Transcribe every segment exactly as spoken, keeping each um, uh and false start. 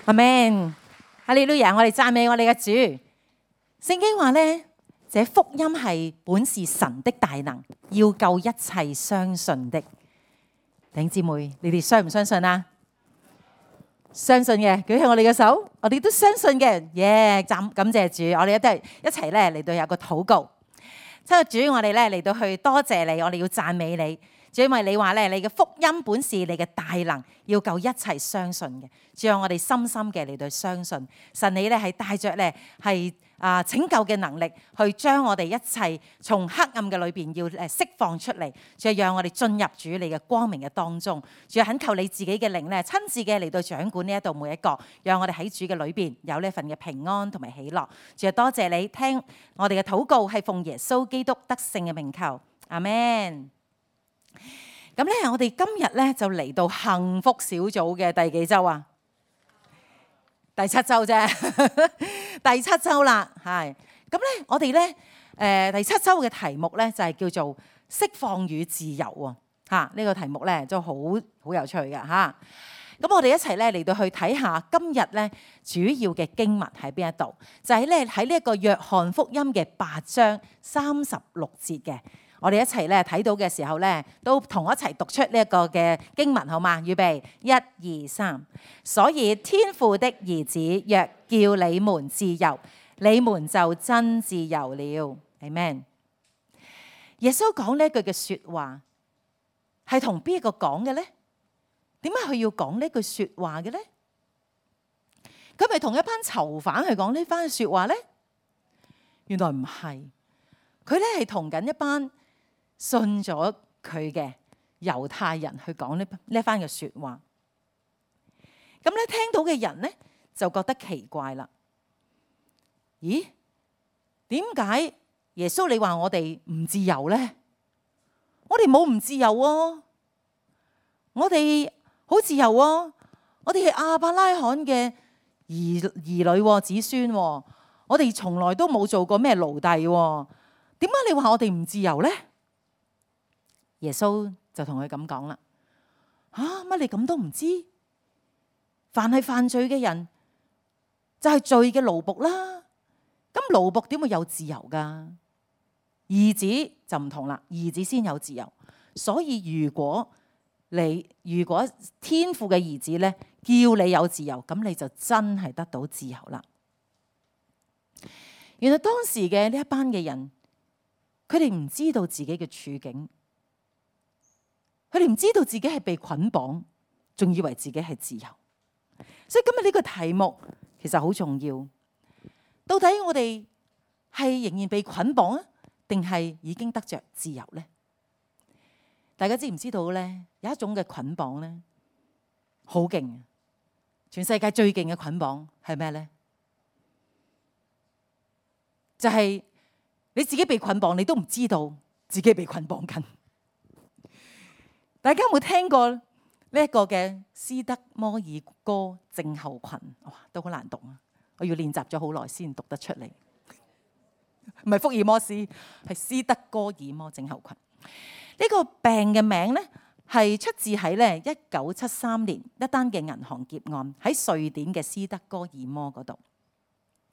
阿們，哈利路亞！我哋讚美我哋嘅主。聖經話咧，這福音係本是神的大能，要救一切相信的。弟兄姊妹，你哋相唔相信啊？相信嘅，舉起我哋嘅手，我哋都相信嘅。耶！讚感謝主，我哋一都係一齊咧嚟到有個禱告。親愛主，我哋咧嚟到去多謝你，我哋要讚美你。主，因為你話咧，你嘅福音本是你嘅大能，要救一切相信嘅。主，讓我哋深深嘅嚟到相信神，你咧係帶着咧係啊拯救嘅能力，去將我哋一切從黑暗嘅裏邊要誒釋放出嚟。主，讓我哋進入主你嘅光明嘅當中。主，懇求你自己嘅靈咧，親自嘅嚟到掌管呢一度每一個，讓我哋喺主嘅裏邊有呢一份嘅平安同埋喜樂。主，多謝你聽我哋嘅禱告，係奉耶穌基督得勝嘅名求，阿們。咁咧，我哋今日咧就嚟到幸福小組嘅第幾周啊？第七周啫，第七周啦，係。咁咧，我哋咧，誒，第七周嘅題目咧就係叫做釋放與自由喎，嚇，呢個題目咧就好好有趣嘅嚇。咁我哋一齊咧嚟到去睇下今日咧主要嘅經文喺邊一度，就係咧喺呢一個約翰福音嘅八章三十六節嘅。我哋一齊咧睇到嘅時候咧，都同我一齊讀出呢一個嘅經文，好嗎？預備，一、二、三。所以天父的兒子若叫你們自由，你們就真自由了。Amen。耶穌講呢一句嘅説話係同邊一個講嘅咧？點解佢要講呢句説話嘅咧？佢咪同一班囚犯去講呢番説話咧？原來唔係，佢咧係同緊一班信咗佢嘅猶太人去講呢呢一番嘅説話。咁咧聽到嘅人咧就覺得奇怪啦。咦？點解耶穌你話我哋唔自由咧？我哋冇唔自由喎，我哋好自由喎。我哋係亞伯拉罕嘅兒兒女子孫，我哋從來都冇做過咩奴隸。點解你話我哋唔自由咧？耶穌就同佢咁講啦，吓，乜你咁都唔知？凡係犯罪嘅人就係罪嘅奴僕啦。咁奴僕點會有自由噶？兒子就唔同啦，兒子先有自由。所以如果你如果天父嘅兒子咧叫你有自由，咁你就真係得到自由啦。原來當時嘅呢一班嘅人，佢哋唔知道自己嘅處境。佢哋唔知道自己係被捆綁，仲以為自己係自由。所以今日呢個題目其實好重要。到底我哋係仍然被捆綁啊，定係已經得着自由呢？大家知唔知道咧？有一種嘅捆綁咧，好勁，全世界最勁嘅捆綁係咩咧？就係你自己被捆綁，你都唔知道自己被捆綁緊。大家有冇聽過呢一個嘅斯德摩爾哥症候群？哇，都好難讀啊！我要練習咗好耐先讀得出嚟。唔係福爾摩斯，係斯德哥爾摩症候群。呢個病嘅名咧係出自喺咧一九七三年一單嘅銀行劫案，喺瑞典嘅斯德哥爾摩嗰度。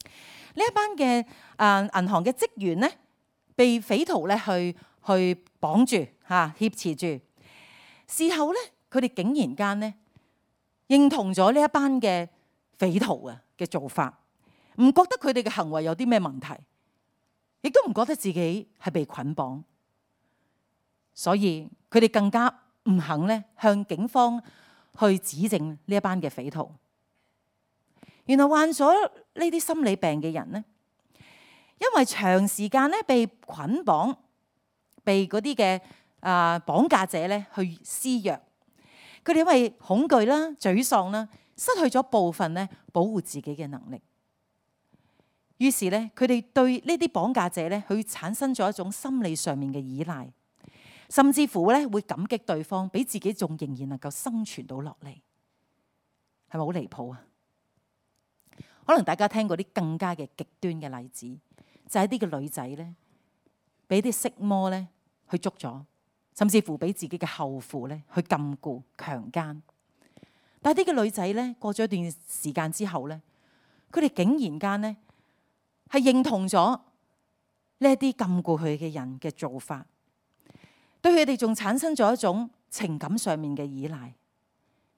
呢一班嘅誒銀行嘅職員咧，被匪徒咧去去綁住嚇，挾持住。事後咧，佢哋竟然間咧認同咗呢一班嘅匪徒啊嘅做法，唔覺得佢哋嘅行為有啲咩問題，亦都唔覺得自己係被捆綁，所以佢哋更加唔肯咧向警方去指證呢一班嘅匪徒。原來患咗呢啲心理病嘅人咧，因為長時間咧被捆綁，被嗰啲嘅啊綁架者咧去施虐，佢哋因為恐懼啦、沮喪啦，失去咗部分咧保護自己嘅能力。於是咧，佢哋對呢啲綁架者咧，去產生咗一種心理上面嘅依賴，甚至乎咧會感激對方，比自己仲仍然能夠生存到落嚟，係咪好離譜啊？可能大家聽過啲更加嘅極端嘅例子，就係啲嘅女仔咧，俾啲色魔咧去捉咗，甚至乎俾自己嘅後父咧去禁錮強姦。但係啲嘅女仔咧，過咗一段時間之後咧，佢哋竟然間咧係認同咗呢一啲禁錮佢嘅人嘅做法，對佢哋仲產生咗一種情感上面嘅依賴，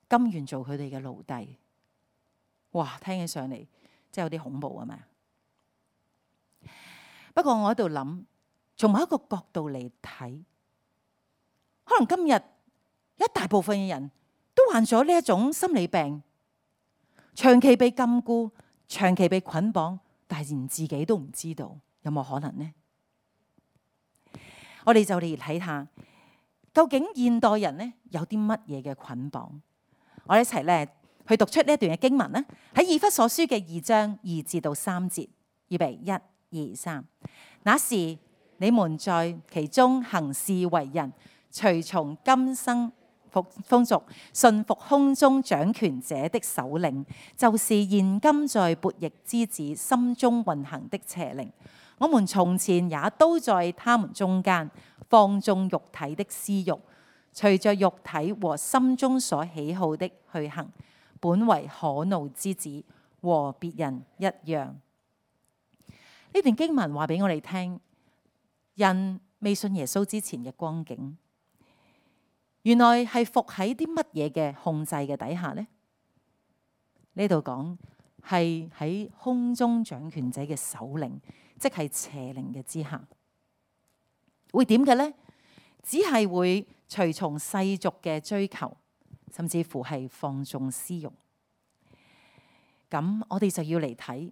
甘願做佢哋嘅奴隸。哇，聽起上嚟真係有啲恐怖啊嘛！不過我喺度諗，從某一個角度嚟睇，可能今日一大部分嘅人都患咗呢一種心理病，長期被禁錮，長期被捆綁，但係連自己都唔知道，有冇可能呢？我哋就嚟睇下，究竟現代人呢有啲乜嘢嘅捆綁？我哋一齊咧去讀出呢一段嘅經文啦，喺以弗所書嘅二章二至到三節，預備一。二三，那時你們在其中行事為人，隨從今生風風俗，順服空中掌權者的首領，就是現今在悖逆之子心中運行的邪靈。我們從前也都在他們中間，放縱肉體的私欲，隨着肉體和心中所喜好的去行，本為可怒之子，和別人一樣。呢段經文話俾我哋聽，人未信耶穌之前嘅光景，原來係伏喺啲乜嘢嘅控制嘅底下呢？呢度講係喺空中掌權者嘅首領，即係邪靈嘅之下，會點嘅呢？只係會隨從世俗嘅追求，甚至乎係放縱私欲。咁我哋就要嚟睇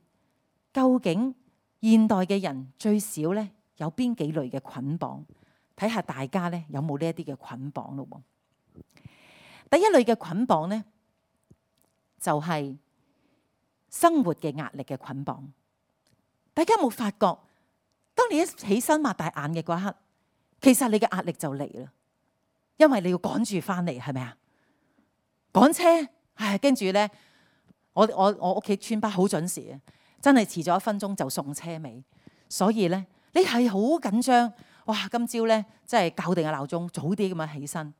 究竟現代嘅人最少咧有邊幾類嘅捆綁，睇下大家咧有冇呢一啲嘅捆綁咯。第一類嘅捆綁咧就係生活嘅壓力嘅捆綁。大家有冇發覺，當你一起身擘大眼嘅嗰一刻，其實你嘅壓力就嚟啦，因為你要趕住翻嚟，係咪啊？趕車，唉，跟住咧，我我我屋企村巴好準時啊！真係遲咗一分鐘就送車尾，所以咧你係好緊張。哇！今朝咧真係校定個鬧鐘，早啲咁樣起身，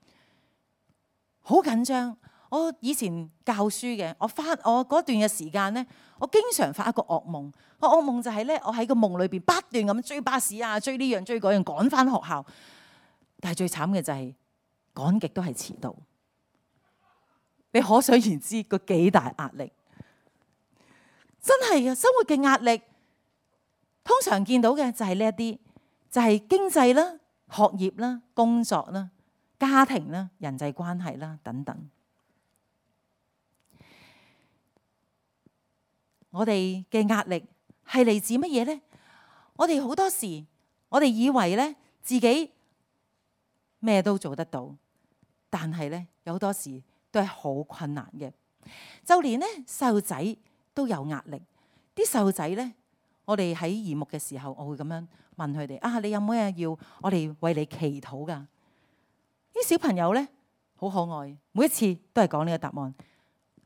好緊張。我以前教書嘅，我翻我嗰段嘅時間咧，我經常發一個噩夢。個噩夢就係咧，我喺個夢裏邊不斷咁追巴士啊，追呢樣追嗰樣，趕翻學校。但係最慘嘅就係趕極都係遲到。你可想而知個幾大壓力。真係嘅，生活嘅壓力，通常見到嘅就係呢一啲，就係經濟啦、學業啦、工作啦、家庭啦、人際關係啦等等。我哋嘅壓力係嚟自乜嘢呢？我哋好多時，我哋以為咧自己咩都做得到，但係咧有好多時都係好困難嘅。就連咧細路仔都有壓力，啲細路仔咧，我哋喺耳目嘅時候，我會咁樣問佢哋：啊，你有冇嘢要我哋為你祈禱噶？啲小朋友咧好可愛，每一次都係講呢個答案：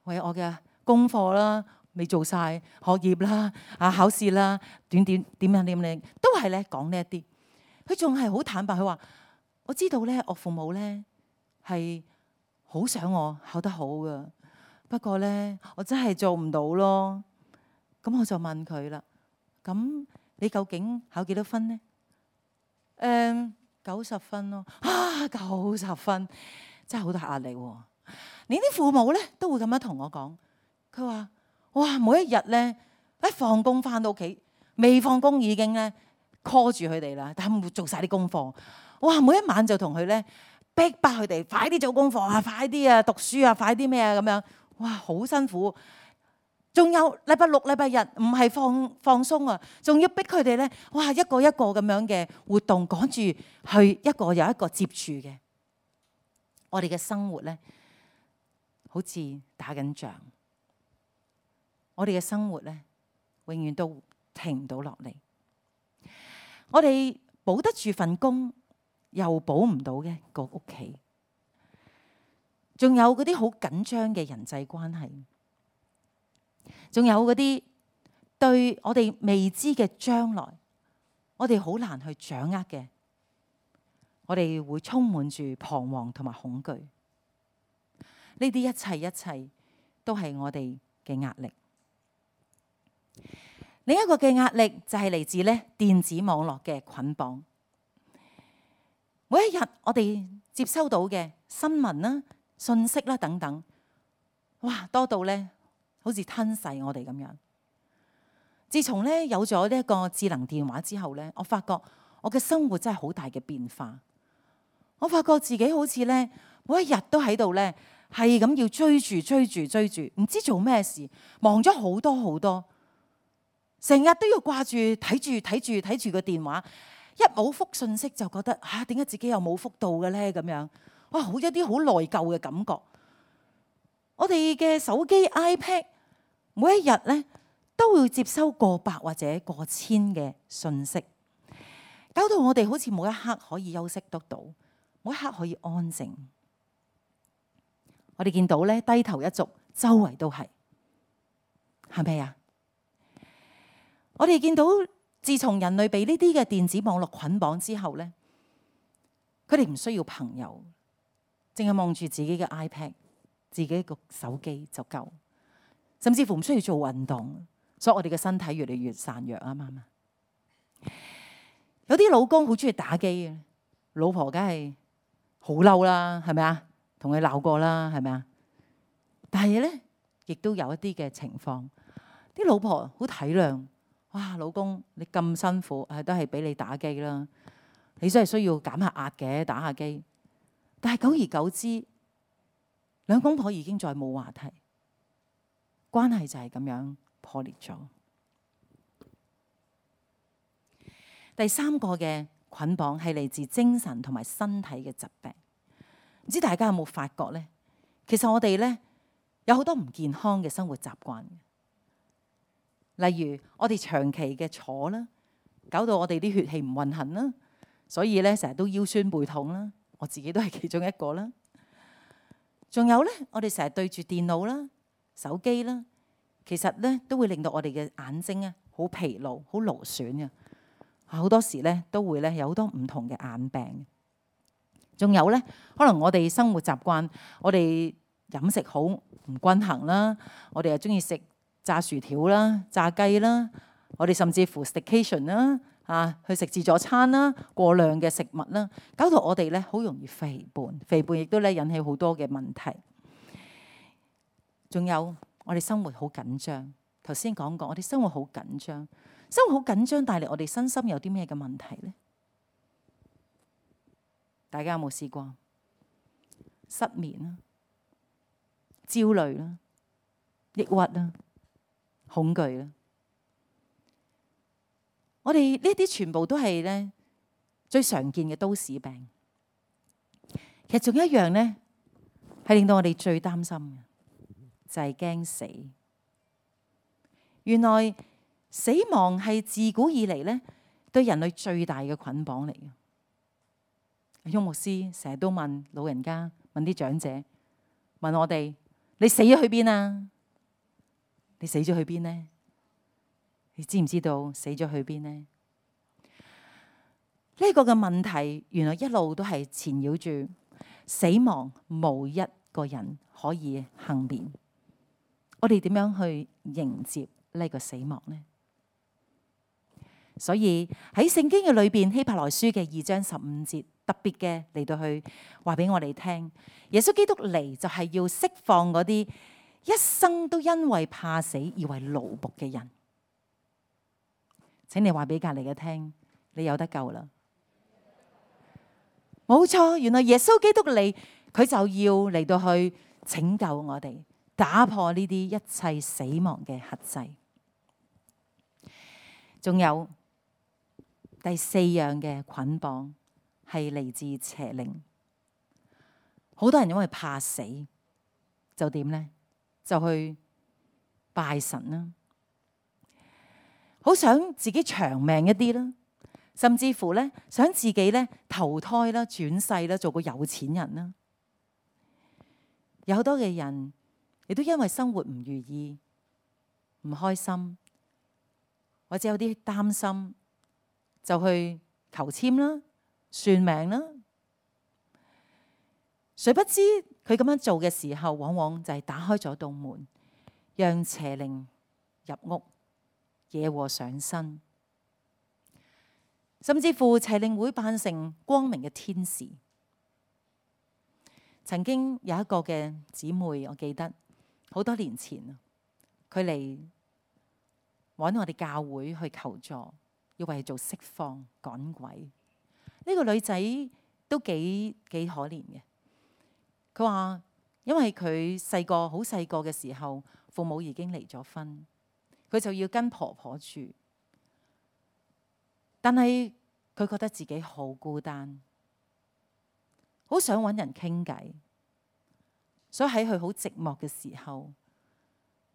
為我嘅功課啦，未做晒，學業啦，啊考試啦，點點點樣點樣，都係咧講呢一啲。佢仲係好坦白，佢話：我知道咧，我父母咧係好想我考得好噶。不過咧，我真係做唔到咯。咁我就問佢啦。咁你究竟考幾多分呢？誒、嗯，九十分咯。啊，九十分真係好大壓力喎。連啲父母咧都會咁樣同我講。佢話：哇，每一日咧一放工翻到屋企，未放工已經咧 call 住佢哋啦，但係做晒啲功課。哇，每一晚就同佢咧逼迫佢哋快啲做功課啊，快啲啊讀書啊，快啲咩啊咁樣。哇，好辛苦！仲有禮拜六、禮拜日唔係放放鬆啊，仲要逼佢哋咧，哇，一個一個咁樣嘅活動趕住去一個又一個接住嘅。我哋嘅生活咧，好似打緊仗。我哋嘅生活咧，永遠都停唔到落嚟。我哋保得住份工，又保唔到嘅個屋企。仲有嗰啲好緊張嘅人際關係，仲有嗰啲對我哋未知嘅將來，我哋好難去掌握嘅，我哋會充滿住彷徨同埋恐懼。呢啲一切一切都係我哋嘅壓力。另一個嘅壓力就係嚟自咧電子網絡嘅捆綁。每一日我哋接收到嘅新聞啦、信息啦等等，哇，多到咧好似吞噬我哋咁樣。自從咧有咗呢一個智能電話之後咧，我發覺我嘅生活真係好大嘅變化。我發覺自己好似咧每一日都喺度咧係咁要追住追住追住，唔知做咩事，忙咗好多好多。成日都要掛住睇住睇住睇住個電話，一冇覆信息就覺得嚇點解自己又冇覆到嘅咧咁樣，哇好一啲好內疚嘅感覺。我哋嘅手機 iPad 每一日咧都會接收過百或者過千嘅信息，搞到我哋好似冇一刻可以休息得到，冇一刻可以安靜。我哋見到咧低頭一族，周圍都係，係咪啊？我哋見到，自從人類被呢啲嘅電子網絡捆綁之後咧，佢哋唔需要朋友，淨係望住自己嘅 iPad、自己個手機就夠，甚至乎唔需要做運動，所以我哋嘅身體越嚟越孱弱啊嘛。有啲老公好中意打機嘅，老婆梗係好嬲啦，係咪啊？同佢鬧過啦，係咪啊？但係咧，亦都有一啲嘅情況，啲老婆好體諒。哇，老公你咁辛苦，係都係俾你打機啦。你真係需要減下壓嘅，打下機。但係久而久之，兩公婆已經再冇話題，關係就係咁樣破裂咗。第三個嘅捆綁係嚟自精神同埋身體嘅疾病。唔知大家有冇發覺呢？其實我哋呢，有好多唔健康嘅生活習慣。例如我哋長期嘅坐啦，搞到我哋啲血氣唔運行啦，所以咧成日都腰酸背痛啦。我自己都係其中一個啦。仲有咧，我哋成日對住電腦啦、手機啦，其實咧都會令到我哋嘅眼睛啊好疲勞、好勞損嘅。好多時咧都會咧有好多唔同嘅眼病。仲有咧，可能我哋生活習慣，我哋飲食好唔均衡啦，我哋又中意食炸薯條啦、炸雞啦，我哋甚至乎 staycation 啦，啊去食自助餐啦，過量嘅食物啦，搞到我哋咧好容易肥胖，肥胖亦都咧引起好多嘅問題。仲有我哋生活好緊張，頭先講過，我哋生活好緊張，生活好緊張帶嚟我哋身心有啲咩嘅問題咧？大家有冇試過失眠啦、焦慮啦、抑鬱啦、恐懼啦？我哋呢啲全部都係咧最常見嘅都市病。其實仲有一樣咧，係令到我哋最擔心嘅，就係驚死。原來死亡係自古以嚟咧對人類最大嘅捆綁嚟嘅。邱牧師成日都問老人家、問啲長者、問我哋：你死咗去邊啊？你死咗去邊呢？你知唔知道死咗去邊呢？呢個嘅問題原來一路都係纏繞住死亡，無一個人可以幸免。我哋點樣去迎接呢個死亡呢？所以喺聖經嘅裏邊，希伯來書嘅二章十五節特別嘅嚟到去話俾我哋聽，耶穌基督嚟就係要釋放嗰啲一生都因為怕死而為奴僕嘅人。請你話俾隔籬嘅聽，你有得救啦！冇錯，原來耶穌基督嚟，佢就要嚟到去拯救我哋，打破呢啲一切死亡嘅轄制。仲有第四樣嘅捆綁係嚟自邪靈。好多人因為怕死，就點呢？就去拜神啦，好想自己長命一啲啦，甚至乎咧想自己咧投胎啦、轉世啦，做個有錢人啦。有好多嘅人亦都因為生活唔如意、唔開心，或者有啲擔心，就去求籤啦、算命啦。誰不知佢咁樣做嘅時候，往往就係打開咗道門，讓邪靈入屋，惹禍上身。甚至乎邪靈會扮成光明嘅天使。曾經有一個嘅姊妹，我記得好多年前，佢嚟揾我哋教會去求助，要為佢做釋放趕鬼。呢個女仔都幾幾可憐嘅。佢話因為佢細個好細個嘅時候，父母已經離咗婚，佢就要跟婆婆住。但係佢覺得自己好孤單，好想揾人傾偈，所以喺佢好寂寞嘅時候，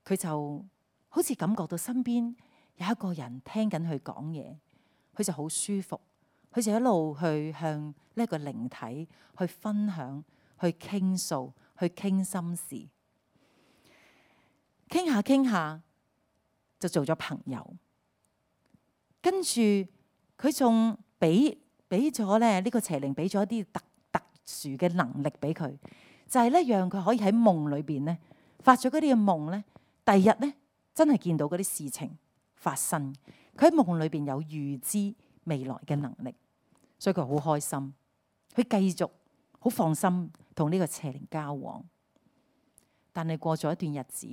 佢就好似感覺到身邊有一個人聽緊佢講嘢，佢就好舒服，佢就一路去向呢一個靈體去分享、去傾訴、去傾心事，傾下傾下就做咗朋友，跟住。佢仲俾俾咗咧呢個邪靈俾咗一啲特特殊嘅能力俾佢，就係咧讓佢可以喺夢裏邊咧發咗嗰啲嘅夢咧，第二日咧真係見到嗰啲事情發生。佢喺夢裏邊有預知未來嘅能力，所以佢好開心，佢繼續好放心同呢個邪靈交往。但係過咗一段日子，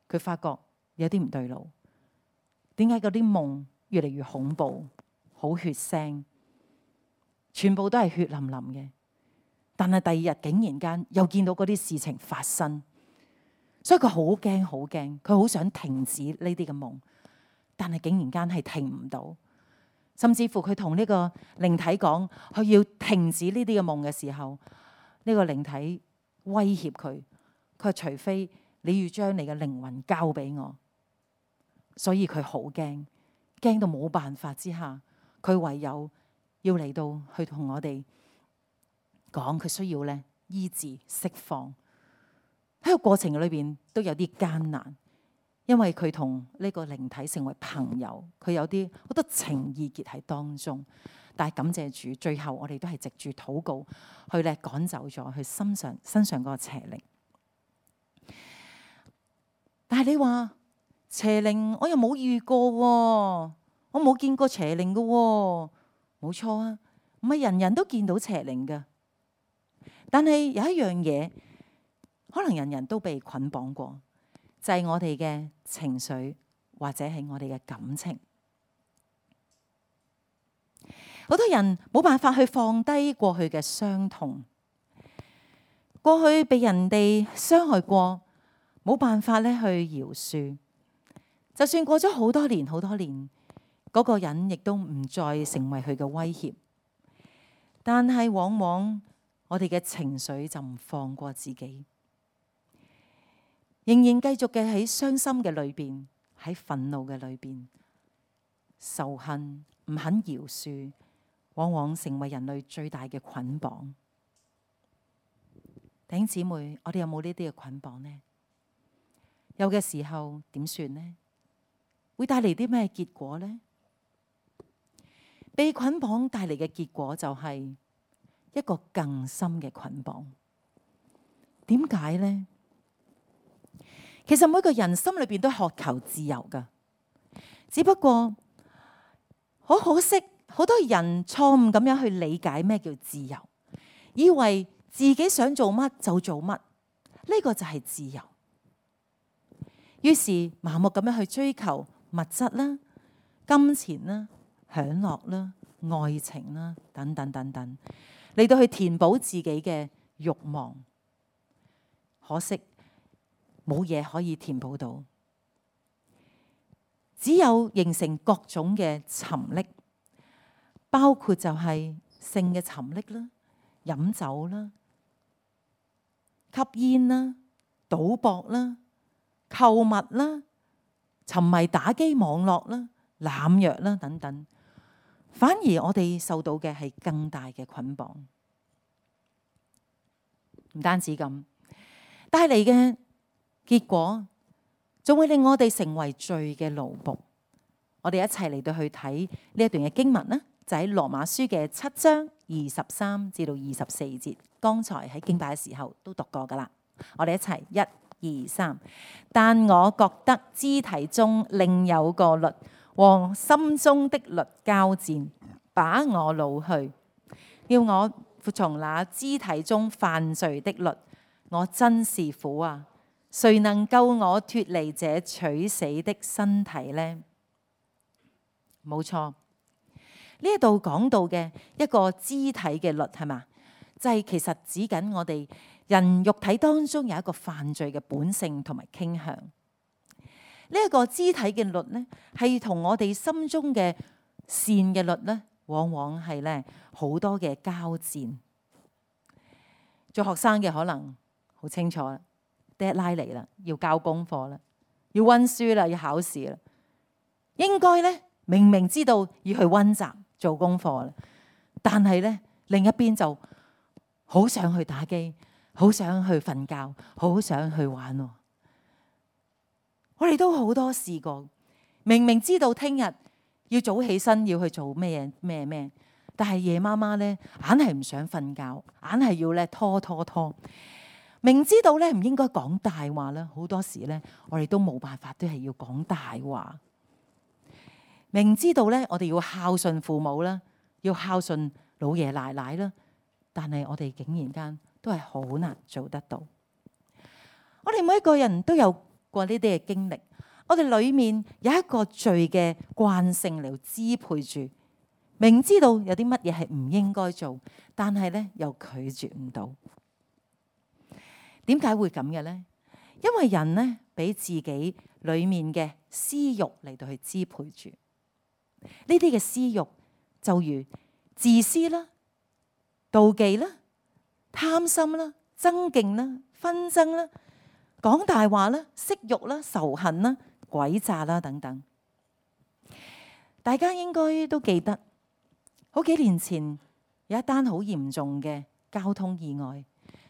佢發覺有啲唔對路，點解嗰啲夢越嚟越恐怖？好血腥，全部都係血淋淋嘅。但係第二日竟然間又見到嗰啲事情發生，所以佢好驚好驚，佢好想停止呢啲嘅夢，但係竟然間係停唔到。甚至乎佢同呢個靈體講，佢要停止呢啲嘅夢嘅時候，呢個靈體威脅佢，佢話除非你要將你嘅靈魂交俾我。所以佢好驚，驚到冇辦法之下。佢唯有要嚟到去同我哋講，佢需要咧醫治釋放。喺個過程裏邊都有啲艱難，因為佢同呢個靈體成為朋友，佢有啲好多情意結喺當中。但係感謝主，最後我哋都係藉住禱告去咧趕走咗佢身上身上嗰個邪靈。但係你話邪靈，我又冇遇過喎。我冇見過邪靈嘅喎，冇錯啊，唔係人人都見到邪靈嘅。但係有一樣嘢，可能人人都被捆綁過，就係我哋嘅情緒或者係我哋嘅感情。好多人冇辦法去放低過去嘅傷痛，過去被人哋傷害過，冇辦法咧去饒恕。就算過咗好多年，好多年。嗰個人亦都唔再成為佢嘅威脅，但係往往我哋嘅情緒就唔放過自己，仍然繼續嘅喺傷心嘅裏邊，喺憤怒嘅裏邊，仇恨唔肯饒恕，往往成為人類最大嘅捆綁。弟兄姊妹，我哋有冇呢啲嘅捆綁呢？有嘅時候點算呢？會帶嚟啲咩結果呢？被捆綁帶嚟嘅結果就係一個更深嘅捆綁。點解呢？其實每個人心裏邊都渴求自由噶，只不過好可惜，好多人錯誤咁樣去理解咩叫自由，以為自己想做乜就做乜，呢個就係自由。於是盲目咁樣去追求物質啦、金錢啦、享樂啦、愛情啦，等等等等，嚟到去填補自己嘅慾望。可惜冇嘢可以填補到，只有形成各種嘅沉溺，包括就係性嘅沉溺啦、飲酒啦、吸煙啦、賭博啦、購物啦、沉迷打機網絡啦、濫藥啦等等。反而我哋受到嘅係更大嘅捆綁，唔單止咁，帶嚟嘅結果仲會令我哋成為罪嘅奴僕。我哋一齊嚟到去睇呢一段嘅經文啦，就喺羅馬書嘅七章二十三至到二十四節。剛才喺敬拜嘅時候都讀過噶啦，我哋一齊一二三。但我覺得肢體中另有個律和心中的律交戰，把我擄去，要我服從那肢體中犯罪的律。我真是苦啊！誰能救我脫離這取死的身體呢？冇錯，呢一度講到嘅一個肢體嘅律係嘛？就係其實指緊我哋人肉體當中有一個犯罪嘅本性同埋傾向。呢一個肢體嘅律呢，係同我哋心中嘅善嘅律呢，往往係咧好多嘅交戰。做學生嘅可能好清楚啦，deadline嚟啦，要交功課啦，要溫書啦，要考試啦，應該咧明明知道要去溫習做功課啦，但係咧另一邊就好想去打機，好想去瞓覺，好想去玩喎。我哋都好多試過，明明知道聽日要早起身要去做咩咩咩，但係夜媽媽咧硬係唔想瞓覺，硬係要咧拖拖拖。明知道咧唔應該講大話啦，好多時咧我哋都冇辦法，都係要講大話。明知道咧我哋要孝順父母啦，要孝順老爺奶奶啦。但係我哋竟然間都係好難做得到。我哋每一個人都有過呢啲嘅經歷，我哋裏面有一個罪嘅慣性嚟支配住，明知道有啲乜嘢係唔應該做，但係咧又拒絕唔到。點解會咁嘅呢？因為人呢，俾自己裏面嘅私欲嚟到去支配住，呢啲嘅私欲就如自私啦、妒忌啦、貪心啦、爭競啦、紛爭啦、講大話啦、色欲啦、仇恨啦、詭詐啦等等。大家應該都記得，好幾年前有一單好嚴重嘅交通意外，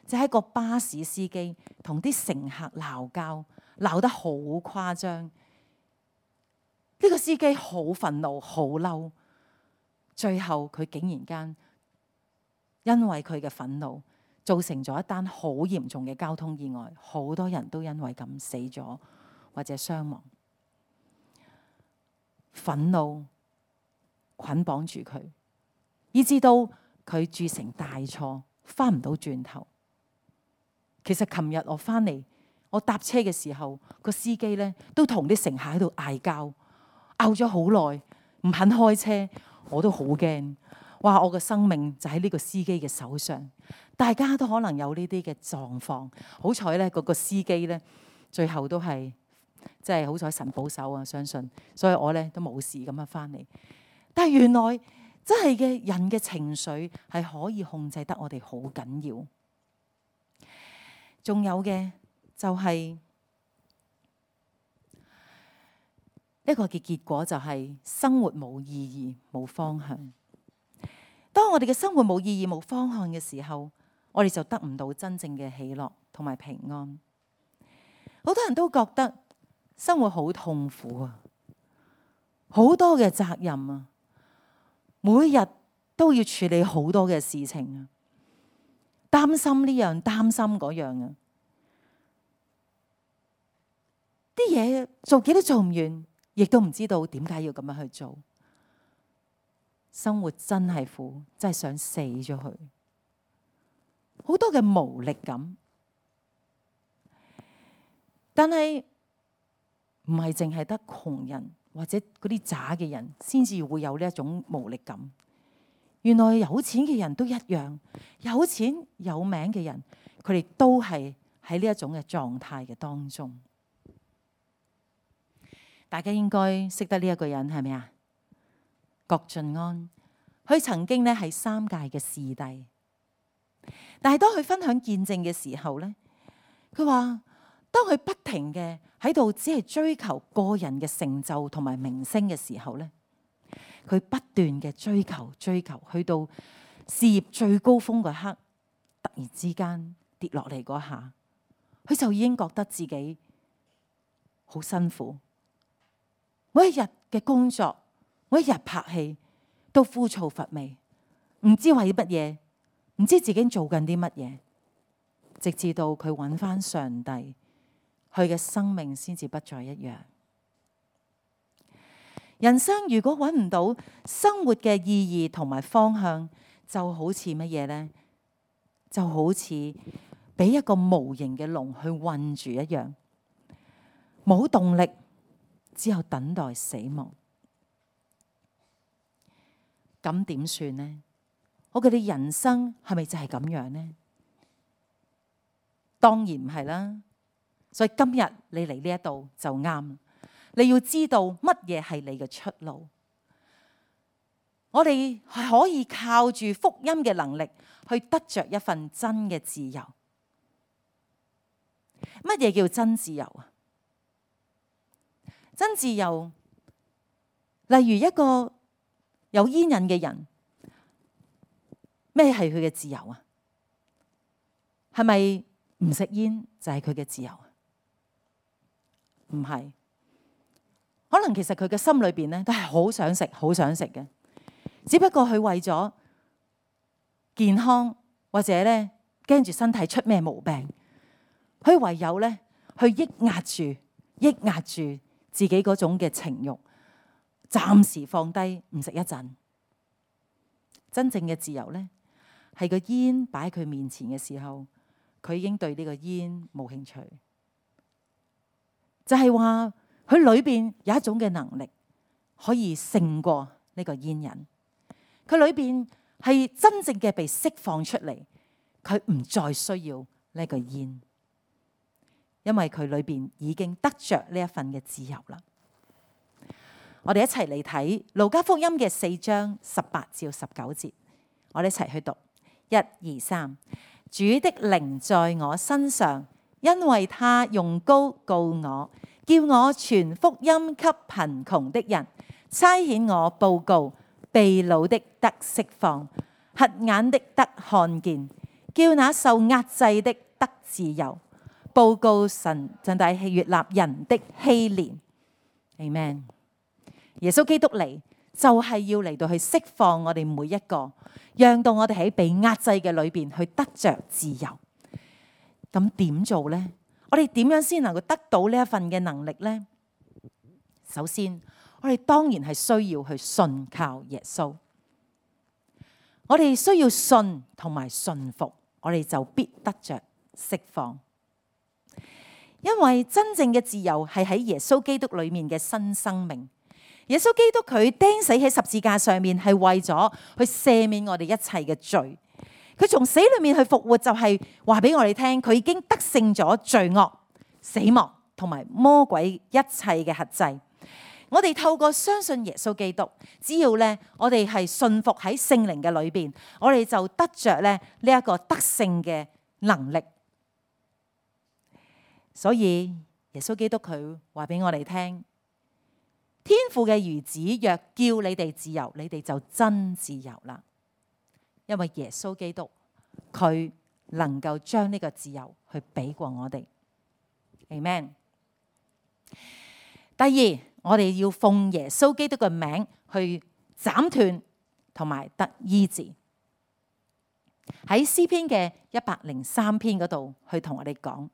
就係一個巴士司機同啲乘客鬧交，鬧得好誇張。呢個司機好憤怒、好嬲，最後佢竟然間因為佢嘅憤怒，造成咗一單好嚴重嘅交通意外，好多人都因為咁死咗或者傷亡。憤怒捆綁住佢，以至到佢鑄成大錯，翻唔到轉頭。其實琴日我翻嚟，我搭車嘅時候，個司機咧都同啲乘客喺度嗌交，拗咗好耐，唔肯開車，我都好驚。哇！我嘅生命就喺呢個司機嘅手上，大家都可能有呢啲嘅狀況。好彩咧，嗰個司機咧最後都係即係好彩神保守啊，相信，所以我咧都冇事咁樣翻嚟。但係原來真係嘅人嘅情緒係可以控制得我哋好緊要。仲有嘅就係一個嘅結果，就係生活冇意義、冇方向。當我哋嘅生活冇意義、冇方向嘅時候，我哋就得唔到真正嘅喜樂同埋平安。好多人都覺得生活好痛苦啊，好多嘅責任啊，每日都要處理好多嘅事情啊，擔心呢樣，擔心嗰樣啊，啲嘢做幾都做唔完，亦都唔知道點解要咁樣去做。生活真係苦，真係想死咗佢。好多嘅無力感，但係唔係淨係得窮人或者嗰啲渣嘅人先至會有呢一種無力感。原來有錢嘅人都一樣，有錢有名嘅人，佢哋都係喺呢一種嘅狀態嘅當中。大家應該識得呢一個人係咪啊？郭晉安，佢曾經咧係三屆嘅視帝，但係當佢分享見證嘅時候咧，佢話當佢不停嘅喺度只係追求個人嘅成就同埋名聲嘅時候咧，佢不斷嘅追求追求，去到事業最高峰嗰刻，突然之間跌落嚟嗰下，佢就已經覺得自己好辛苦。每一日嘅工作，每一日拍戲，都枯燥乏味，唔知為乜嘢，唔知自己做緊啲乜嘢，直至到佢揾返上帝，佢嘅生命先至不再一樣。人生如果揾唔到生活嘅意義同埋方向，就好似乜嘢呢？就好似俾一個無形嘅籠去困住一樣，冇動力，只有等待死亡。咁點算呢？我哋嘅人生係咪就係咁樣呢？當然唔係啦。所以今日你嚟呢一度就啱。你要知道乜嘢係你嘅出路。我哋係可以靠住福音嘅能力去得着一份真嘅自由。乜嘢叫真自由啊？真自由，例如一個有煙癮嘅人，咩係佢嘅自由啊？係咪唔食煙就係佢嘅自由啊？唔係，可能其實佢嘅心裏邊咧都係好想食，好想食嘅，只不過佢為咗健康或者咧驚住身體出咩毛病，佢唯有咧去抑壓住、抑壓住自己嗰種嘅情慾，暫時放低唔食一陣。真正嘅自由咧，係個煙擺喺佢面前嘅時候，佢已經對呢個煙冇興趣。就係話佢裏邊有一種嘅能力可以勝過呢個煙癮，佢裏邊係真正嘅被釋放出嚟，佢唔再需要呢個煙，因為佢裏邊已經得着呢一份嘅自由啦。我哋一齊嚟睇路加福音嘅四章十八至十九節，我哋一齊去讀，一二三。主的靈在我身上，因為他用膏膏我，叫我傳福音給貧窮的人，差遣我報告被擄的得釋放，瞎眼的得看見，叫那受壓制的得自由，報告神真大喜悅納人的禧年。Amen。耶穌基督嚟就係要嚟到去釋放我哋每一個，讓到我哋喺被壓制嘅裏邊去得着自由。咁點做呢？我哋點樣先能夠得到呢一份嘅能力呢？首先，我哋當然係需要去信靠耶穌。我哋需要信同埋信服，我哋就必得着釋放。因為真正嘅自由係喺耶穌基督裏面嘅新生命。耶穌基督佢釘死喺十字架上面，係為咗去赦免我哋一切嘅罪。佢從死裏面去復活，就係話俾我哋聽，佢已經得勝咗罪惡、死亡同埋魔鬼一切嘅轄制。我哋透過相信耶穌基督，只要咧我哋係信服喺聖靈嘅裏邊，我哋就得着咧呢一個得勝嘅能力。所以耶穌基督佢話俾我哋聽，天父嘅兒子若叫你哋自由，你哋就真自由啦。因為耶穌基督佢能夠將呢個自由去俾過我哋。Amen。第二，我哋要奉耶穌基督嘅名去斬斷同埋得醫治。喺詩篇嘅一百零三篇嗰度去同我哋講，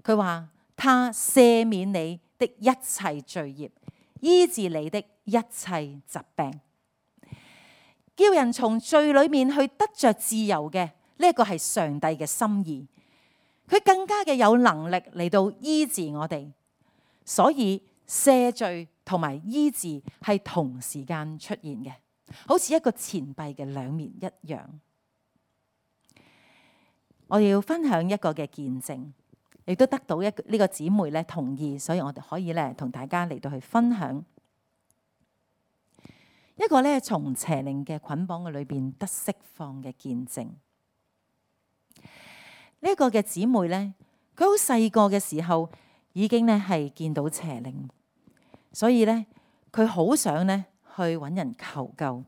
佢話他赦免你的一切罪孽，醫治你的一切疾病，叫人從罪裏面去得着自由嘅，呢一個係上帝嘅心意。佢更加嘅有能力嚟到醫治我哋，所以赦罪同埋醫治係同時間出現嘅，好似一個錢幣嘅兩面一樣。我哋要分享一個嘅見證，亦都得到一呢個姊妹咧同意，所以我哋可以咧同大家嚟到去分享一個咧從邪靈嘅捆綁嘅裏邊得釋放嘅見證。呢、這、一個嘅姊妹咧，佢好細個嘅時候已經咧係見到邪靈，所以咧佢好想咧去揾人求救。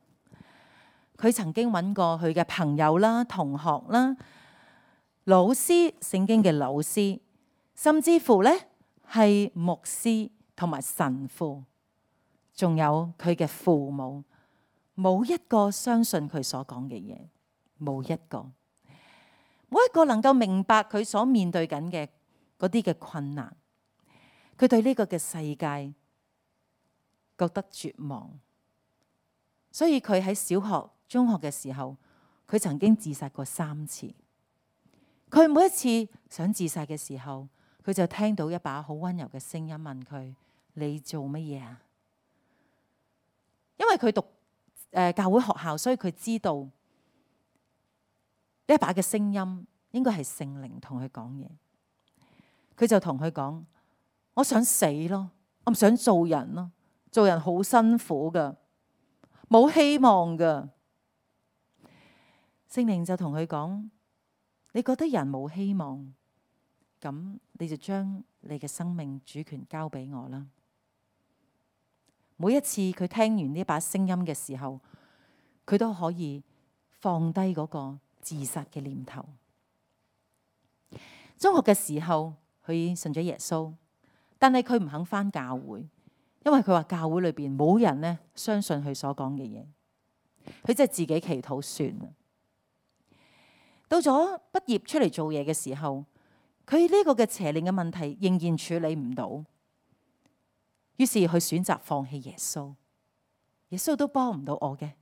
佢曾經揾過佢嘅朋友啦、同學啦、老師、聖經嘅老師，甚至乎咧係牧師同埋神父，仲有佢嘅父母冇一個相信佢所講嘅嘢，冇一個，冇一個能夠明白佢所面對緊嘅嗰啲嘅困難。佢對呢個嘅世界覺得絕望，所以佢喺小學、中學嘅時候，佢曾經自殺過三次。佢每一次想自殺嘅時候，佢就聽到一把好溫柔嘅聲音問佢：你做乜嘢啊？因為佢讀誒、呃、教會學校，所以佢知道呢一把嘅聲音應該係聖靈同佢講嘢。佢就同佢講：我想死咯，我唔想做人咯，做人好辛苦噶，冇希望噶。聖靈就同佢講：你覺得人冇希望，咁你就將你嘅生命主權交俾我啦。每一次佢聽完呢把聲音嘅時候，佢都可以放低嗰個自殺嘅念頭。中學嘅時候，佢信咗耶穌，但係佢唔肯返教會，因為佢話教會裏邊冇人咧相信佢所講嘅嘢，佢即係自己祈禱算啦。到咗畢業出嚟做嘢嘅時候，佢呢個嘅邪靈嘅問題仍然處理唔到，於是佢選擇放棄耶穌。耶穌都幫唔到我嘅，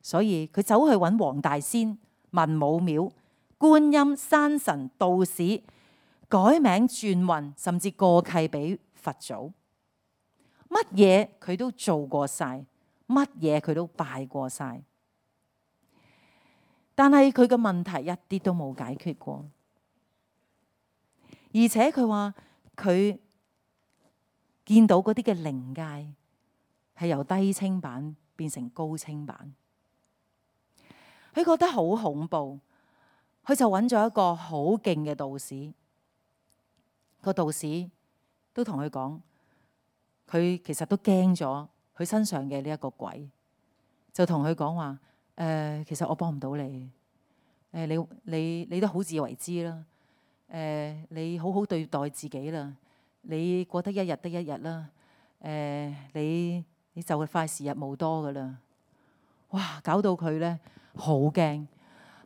所以佢走去揾黃大仙、文武廟、觀音、山神、道士，改名轉運，甚至過契俾佛祖，乜嘢佢都做過晒，乜嘢佢都拜過晒。但係佢嘅問題一啲都冇解決過，而且佢話佢見到嗰啲嘅靈界係由低清版變成高清版，佢覺得好恐怖，佢就揾咗一個好勁嘅道士，個道士都同佢講，佢其實都驚咗佢身上嘅呢一個鬼，就同佢講話。誒、呃，其實我幫唔到你。誒、呃，你你你都好自為之啦。誒、呃，你好好對待自己啦。你過得一日得一日啦。誒、呃，你你就快時日無多噶啦。哇！搞到佢咧好驚。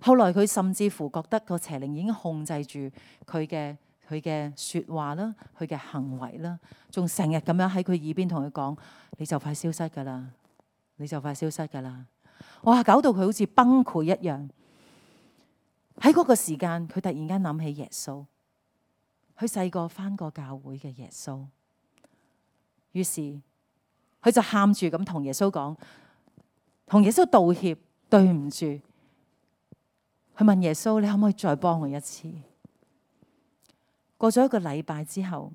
後來佢甚至乎覺得個邪靈已經控制住佢嘅佢嘅説話啦，佢嘅行為啦，仲成日咁樣喺佢耳邊同佢講：你就快消失噶啦，你就快消失噶啦。哇！搞到佢好似崩潰一樣。喺嗰個時間，佢突然間諗起耶穌，佢細個返過教會嘅耶穌。於是佢就喊住咁同耶穌講，同耶穌道歉，對唔住。佢問耶穌：你可唔可以再幫我一次？過咗一個禮拜之後，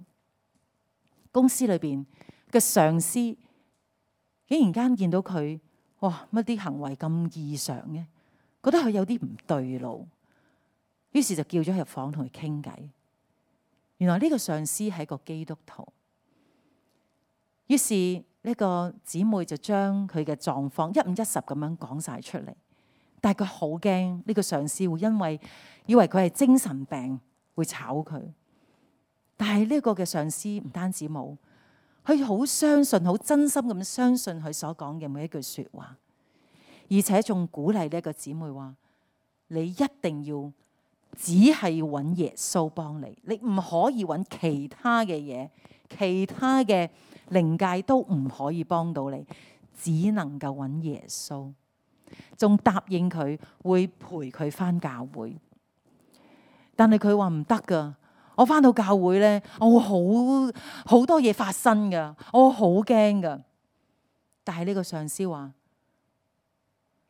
公司裏邊嘅上司竟然間見到佢。哇！乜啲行為咁異常嘅，覺得佢有啲唔對路，於是就叫咗入房同佢傾偈。原來呢個上司係個基督徒，於是呢個姊妹就將佢嘅狀況一五一十咁樣講晒出嚟。但係佢好驚呢個上司會因為以為佢係精神病會炒佢，但係呢個嘅上司唔單止冇。佢好相信，好真心咁相信佢所講嘅每一句說話，而且仲鼓勵呢一個姊妹話：你一定要只係要揾耶穌幫你，你唔可以揾其他嘅嘢，其他嘅靈界都唔可以幫到你，只能夠揾耶穌。仲答應佢會陪佢返教會，但係佢話唔得㗎。我返到教會咧，我會好好多嘢發生噶，我好驚噶。但係呢個上司話，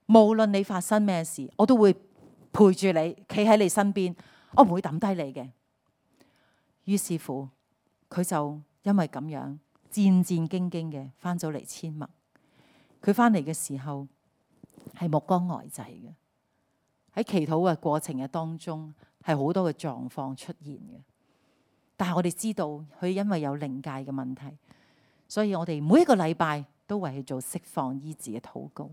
無論你發生咩事，我都會陪住你，企喺你身邊，我唔會抌低你嘅。於是乎，佢就因為咁樣戰戰兢兢嘅返咗嚟千麥。佢返嚟嘅時候係目光呆滯嘅，喺祈禱嘅過程嘅當中係好多嘅狀況出現嘅。但係我哋知道佢因為有靈界嘅問題，所以我哋每一個禮拜都為佢做釋放醫治嘅禱告。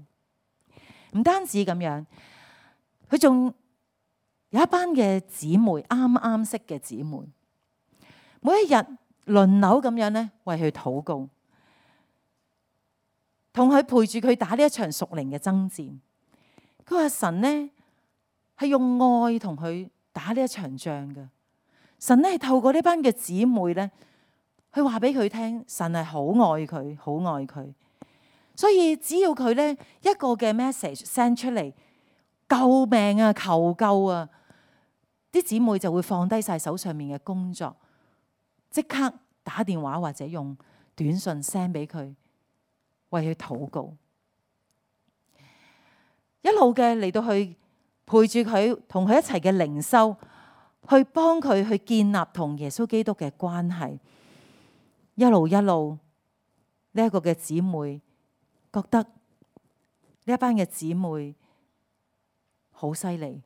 唔單止咁樣，佢仲有一班嘅姊妹，啱啱識嘅姊妹，每一日輪流咁樣咧為佢禱告。同佢陪住佢打呢一場屬靈嘅爭戰。佢話神呢係用愛同佢打呢一場仗嘅。神呢係透過呢班嘅姊妹呢，去話俾佢聽，神係好愛佢，好愛佢。所以只要佢呢一個嘅 message send 出嚟，救命啊，求救啊，啲姊妹就會放低晒手上面嘅工作，即刻打電話或者用短信 send 俾佢，為佢禱告，一路嘅嚟到去陪住佢，同佢一齊嘅靈修，去幫佢去建立同耶穌基督嘅關係。一路一路呢一個嘅姊妹覺得呢一班嘅姊妹好犀利，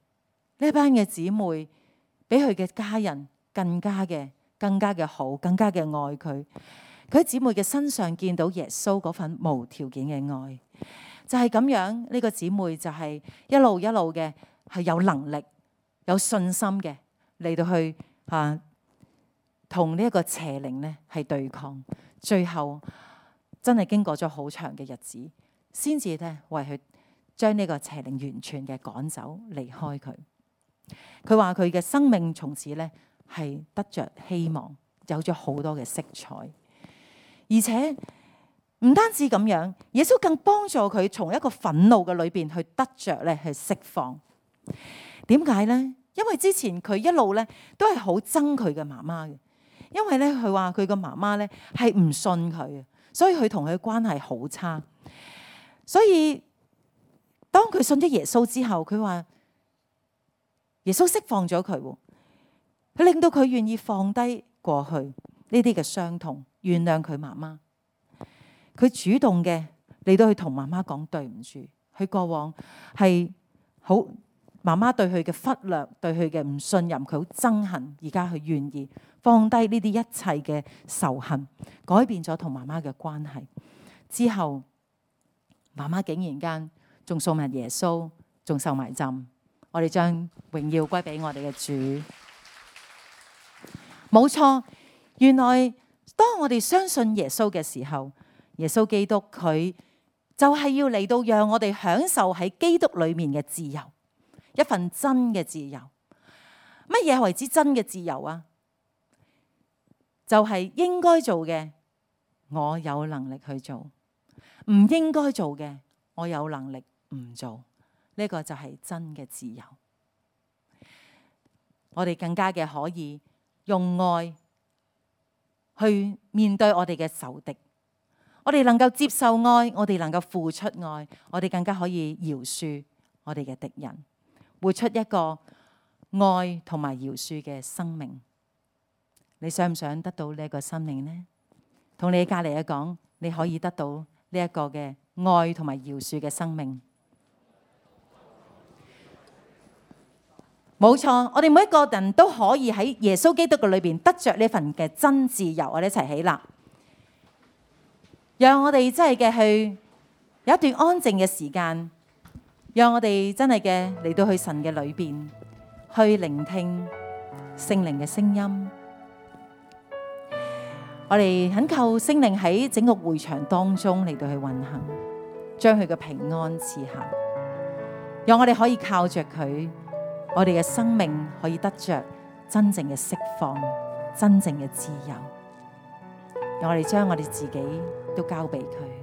呢一班嘅姊妹比佢嘅家人更加嘅更加嘅好，更加嘅愛佢。佢喺姊妹嘅身上見到耶穌嗰份無條件嘅愛，就係咁樣。呢個姊妹就係一路一路嘅係有能力、有信心嘅嚟到去啊，同呢一個邪靈咧係對抗。最後真係經過咗好長嘅日子，先至咧為佢將呢個邪靈完全嘅趕走，離開佢。佢話佢嘅生命從此咧係得着希望，有咗好多嘅色彩。而且唔單止咁樣，耶穌更幫助佢從一個憤怒嘅裏邊去得着咧去釋放。點解呢？因為之前佢一路咧都係好憎佢嘅媽媽嘅，因為咧佢話佢個媽媽咧係唔信佢嘅，所以佢同佢嘅關係好差。所以當佢信咗耶穌之後，佢話耶穌釋放咗佢，佢令到佢願意放低過去呢啲嘅傷痛，原諒佢媽媽。佢主動嘅嚟到去同媽媽講對唔住，佢過往係好媽媽對佢嘅忽略，對佢嘅唔信任，佢好憎恨。而家佢願意放低呢啲一切嘅仇恨，改變咗同媽媽嘅關係之後，媽媽竟然間仲送埋耶穌，仲受埋浸。我哋將榮耀歸俾我哋嘅主。冇錯，原來當我哋相信耶穌嘅時候，耶穌基督佢就係要嚟到讓我哋享受喺基督裏面嘅自由，一份真嘅自由。乜嘢為之真嘅自由啊？就係應該做嘅，我有能力去做；唔應該做嘅，我有能力唔做。呢個就係真嘅自由。我哋更加嘅可以用愛去面對我哋嘅仇敵，我哋能夠接受愛，我哋能夠付出愛，我哋更加可以饒恕我哋嘅敵人，活出一個愛同埋饒恕嘅生命。你想唔想得到呢一個生命呢？同你隔籬嘅講，你可以得到呢一個嘅愛同埋饒恕嘅生命。冇錯，我哋每一個人都可以喺耶穌基督嘅裏邊得着呢份嘅真自由。我哋一齊起立，讓我哋真係嘅去有一段安靜嘅時間，讓我哋真係嘅嚟到去神嘅裏邊去聆聽聖靈嘅聲音。我哋懇求聖靈喺整個會場當中嚟到去運行，將佢嘅平安賜下，讓我哋可以靠着佢，我哋嘅生命可以得着真正嘅釋放，真正嘅自由。讓我哋將我哋自己都交俾佢。